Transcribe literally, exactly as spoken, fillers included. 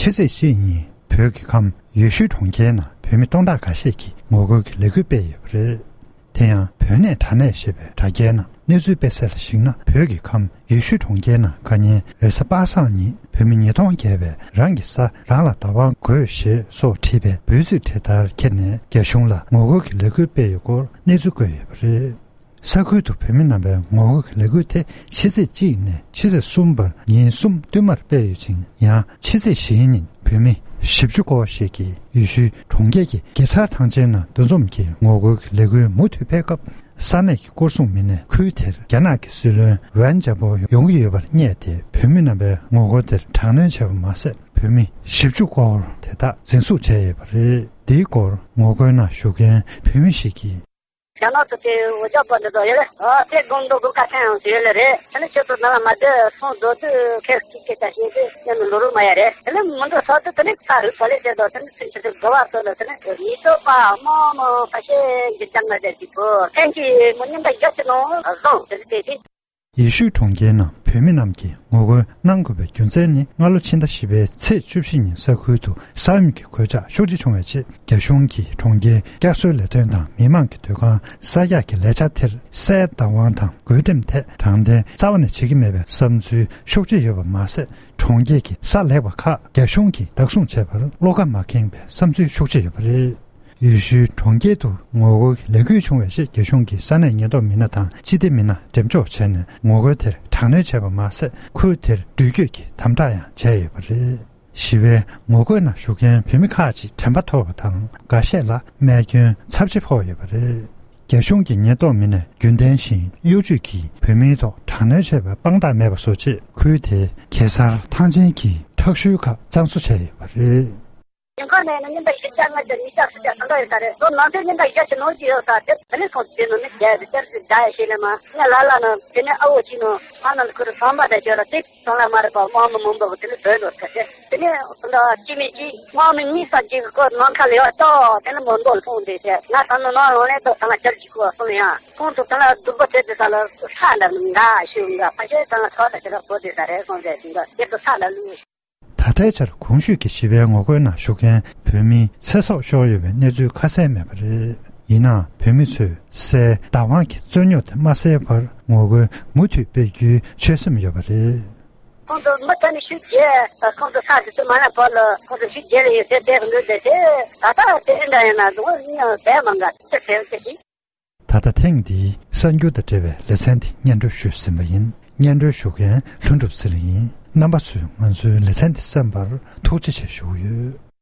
ཕྱི་ཚེས་བཞི་ཉིན་བོད་ཀྱི་ཁམས་ཡུལ་ཤུལ་གྲོང་ཁྱེར་ནང་བོད་མི་སྟོང་ཕྲག་འགའ་ཤས་ཀྱིས་ངོ་རྒོལ་གྱི་ལས་འགུལ་སྤེལ་ཡོད་པ་རེད། དེ་ཡང་བོད་གནས་དྲ་གནས་ཞེས་པའི་དྲ་རྒྱའི་ནང་གནས་ཚུལ་སྤེལ་གསལ་ལ་གཞིགས་ན། བོད་ཀྱི་ཁམས་ཡུལ་ཤུལ་གྲོང་ཁྱེར་ནང་ཁ་ཉིན་རེས་གཟའ་པ་སངས་ཉིན་བོད་མི་ཉིས་སྟོང་བརྒལ་བས་རང་གི་ས་རང་ལ་བདག་དབང་དགོས་ཞེས་སོགས་བྲིས་པའི་འབོད་ཚིག་དེ་ལྟར་འཁྱེར་ནས་རྒྱ་གཞུང་ལ་ངོ་རྒོལ་གྱི་ལས་འགུལ་སྤེལ་ཡོད་སྐོར་གནས་ཚུལ་བཀོད་ཡོད་པ་རེད། ས་ཁུལ་དུ་བོད་མི་རྣམ་པའི་ངོ་རྒོལ་གྱི་ལས་འགུལ་དེ་ཕྱི་ཚེས་གཅིག་ནས་ཕྱི་ཚེས་གསུམ་བར་ཉིན་གསུམ་བསྟུད་མར་སྤེལ་ཡོད་ཅིང་། ཡང་ཕྱི་ཚེས་བཞིའི་ཉིན་བོད་མི་བཞི་བཅུ་སྐོར་ཞིག་གིས་ཡུལ་ཤུལ་གྲོང་ཁྱེར་གྱི་གེ་སར་ཐང་ཆེན་ནང་འདུ་འཛོམས་ཀྱིས་ངོ་རྒོལ་གྱི་ལས་འགུལ་མུ་མཐུད་སྤེལ་སྐབས། ས་གནས་ཀྱི་སྐོར་སྲུང་མི་སྣས་ཁུལ་དེར་རྒྱ་ནག་གི་སྲིད་བློན་ཝན་ཅཱ་པོ་ཡོང་གི་ཡོད་པར་བསྙད་དེ། བོད་མི་རྣམ་པའི་ངོ་རྒོལ་དེར་དྲག་གནོན་བྱས་པ་མ་ཟད། བོད་མི་བཞི་བཅུ་སྐོར་དེ་དག་འཛིན་བཟུང་བྱས་ཡོད་པ་རེད། འདིའི་སྐོར་ངོ་རྒོལ་ནང་ཞུགས་མཁན་བོད་མི་ཞིག་གིས། རྒྱ་ནག་ཏུ་དེ་འུ་ཅག་པ་འདི་དག་ཡོད་རེད། ཨ་དེ་དགོང་དུ་དགོང་ཁ་སང་ཡང་ཡོད་ལེ་རེད། དེ་ནི་ཁྱོད་ཚོ་ནང་ལ་མ་བསྡད་སོང་། རྡོ་དུ་ཁེར་གཅིག་གི་ད་ཤེས་དུ་ཡང་ནི་ལོ་རུ་མ་ཡ་རེད། དེ་ནི་མི་འགྲོ་ས་དུ་དེ་ནི་ས་རུ་ཐོ་ལེ་ཟེར་དོ། དེ་ནི་ཚུན་ཆད་དུ་དགོ་བ་ཚོ་ལ་དེ་ནི་མི་ཚོ་པ་མོ་མོ་ཁ་ཤས་འགྱུར་ལྡང་ང་བསྡད་ཀྱི་བོ་ཐེངས་ཀྱི་མི་ཉིན་ད་རྒྱ་ཆེ་ནོ་བཟང་དེ་ནི་དེ་དེ། ཡུལ་ཤུལ་གྲོང་ཁྱེར་ནང་བོད་མི་རྣམས་ཀྱིས་ངོ་རྒོལ་གནང་དགོས་པའི་རྒྱུ་མཚན་ནི། སྔ་ལོ་ཕྱི་ཟླ་བཞི་པའི་ཚེས་བཅུ་བཞི་ཉིན་ས་ཁུལ་དུ་ས་ཡོམ་གྱི་གོད་ཆག་ཤུགས་ཆེ་བྱུང་བའི་རྗེས། རྒྱ་གཞུང་གིས་གྲོང་ཁྱེར་བསྐྱར་གསོའི་ལས་དོན་དང་མི་མང་གི་སྡོད་ཁང་གསར་རྒྱག་གི་ལས་འཆར་དེར་སའི་བདག་དབང་དང་བགོ་འགྲེམས་ཐད་དྲང་བདེན་རྩ་བ་ནས་བྱེད་ཀྱི་མེད་པའི་བསམ་ཚུལ་ཤུགས་ཆེ་ཡོད་པ་མ་ཟད། གྲོང་ཁྱེར་གྱི་ས་ལེགས་པ་ཁག་རྒྱ་གཞུང་གིས་བདག་བཟུང་བྱས་པར་བློ་ཁ་མ་ཁེངས་པའི་བསམ་ཚུལ་ཤུགས་ཆེ་ཡོད་པ་རེད། ཡུལ་ཤུལ་གྲོང་ཁྱེར་དུ་ངོ་རྒོལ་གྱི་ལས་འགུལ་བྱུང་བའི་རྗེས། རྒྱ་གཞུང་གིས་ས་གནས་ཉེན་རྟོག་མི་སྣ་དང་སྤྱི་བདེ་མི་སྣ་འགྲེམས་འཇོག་བྱས་ནས། ངོ་རྒོལ་དེར་དྲག་གནོན་བྱས་པ་མ་ཟད། ཁུལ་དེར་འགྲུལ་སྐྱོད་ཀྱི་དམ་དྲག་ཡང་བྱས་ཡོད་པ་རེད། ཞི་བའི་ངོ་རྒོལ་ནང་ཞུགས་མཁན་བོད་མི་ཁག་ཅིག་དྲན་པ་ཐོར་བ་དང་། འགའ་ཤས་ལ་རྨས་སྐྱོན་ཚབས་ཆེ་ཕོག་ཡོད་པ་རེད། རྒྱ་གཞུང་གི་ཉེན་རྟོག་མི་སྣས་རྒྱུན་ལྡན་བཞིན་གཡོ་ཇུས་ཀྱིས་བོད་མིའི་ཐོག་དྲག་གནོན་བྱས་པའི་དཔང་རྟགས་མེད་པ་བཟོ་ཆེད། ཁུལ་དེའི་གེ་སར་ཐང་ཆེན་གྱི་ཁྲག་ཤུལ་ཁག་གཙང་བཟོ་བྱས་ཡོད་པ་རེད། ཉིན་ཁ་ནས་ནི་ཉིན་ལྟར་བཞི་བརྒྱ་ལྔ་བརྒྱ་ཉིས་བརྒྱ་སུམ་བརྒྱ་ད་ལྟ་ཡོད་ས་རེད། ལོ་ནང་དུ་ཉིན་ལྟར་བརྒྱ་ཆེ་ནོར་གྱི་ཡོད་ས་དེ་ད་ནི་སོང་དེ་ནོ་ནི་བརྒྱ་དེ་བརྒྱ་སུ་ད་ཡ་ཤེས་ལེ་མ་ངས་ལ་ལ་ནི་དེ་ནི་ཨ་འོ་ཅི་ནོ་ཨ་ནང་ཁུ་རུ་ཚང་མ་ད་བརྗོད་ལ་དེ་ཚང་ལ་མ་རེད་པ། དམག་མི་མང་པོ་དེ་ནི་བོད་ནོར་ཁ་ཤས་དེ་ནི་ད་ཅི་མི་ཅི་དམག་མི་གཉིས་ས་ཅིག་གི་སྐོར་ནང་ཁ་ལེ་བ་ཏོ་དེ་ནི་མོ་འདོད་ལ་ཕུང་དེ་ཤེས་ང་ད་ནི་ནང་ལོང་ལེ་ཏོ་ད་ང་ཅར་གྱི་ཁུ་བ་སོང་ཡ་ཁོང་ཚོ་ད་ང་སྡུག་པོ་བྱེད་དེ་ས་ལ་ཧྲ་ལ་འགའ་ཤུ་འགའ་ཕ་ཤེས་ད་ང་ཚོ་ད་ཤེས་ར་བོ་དེ་ས་རེད་སོང་ཟེར་ཞིང་འགའ་དེ་ཏོ་ས་ལ་ལུས། ད་ལྟའི་ཆར་གོང་ཞུས་ཀྱི་ཞི་བའི་ངོ་རྒོལ་ནང་ཞུགས་མཁན་བོད་མིའི་ཚེ་སྲོག་ཤོར་ཡོད་པའི་གནས་ཚུལ་ཁ་གསལ་མེད་པ་རེད། ཡིན་ནའང་བོད་མི་ཚོས་སའི་བདག་དབང་གི་རྩོད་རྙོག་དེ་མ་སེལ་བར་ངོ་རྒོལ་མུ་མཐུད་སྤེལ་རྒྱུའི་ཆོད་སེམས་ཡོད་པ་རེད། ཁོང་ཚོ་མི་ཚང་མ་ཤུགས་རྒྱས། ཁོང་ཚོ་ས་དེ་ཚོ་མ་ན་བར་ལ་ཁོང་ཚོ་ཤུགས་རྒྱས་ལ་ཡོད་ཟེར་བསྡད་གི་འདུག་དེ་དེ་ད་ལྟ་དེ་རིང་འདྲ་ཡིན་ན་འདུག་ཡང་བསྡད་མང་ག་ཚེ་ཟེར་ཅི་ཞིག་ད་ལྟ་ཐེངས་འདིའི་གསར་འགྱུར་དང་འབྲེལ་བའི་ལེ་ཚན་འདི་སྙན་སྒྲོན་ཞུས་ཟིན་པ་ཡིན། སྙན་སྒྲོན་ཞུ་མཁན་ལྷུན་གྲུབ་ཚེ་རིང་ཡིན། རྣམ་པ་ཚོས་ང་ཚོའི་ལེ་ཚན་འདི་གསན་པར་ཐུགས་རྗེ་ཆེ་ཞུ་གི་ཡོད།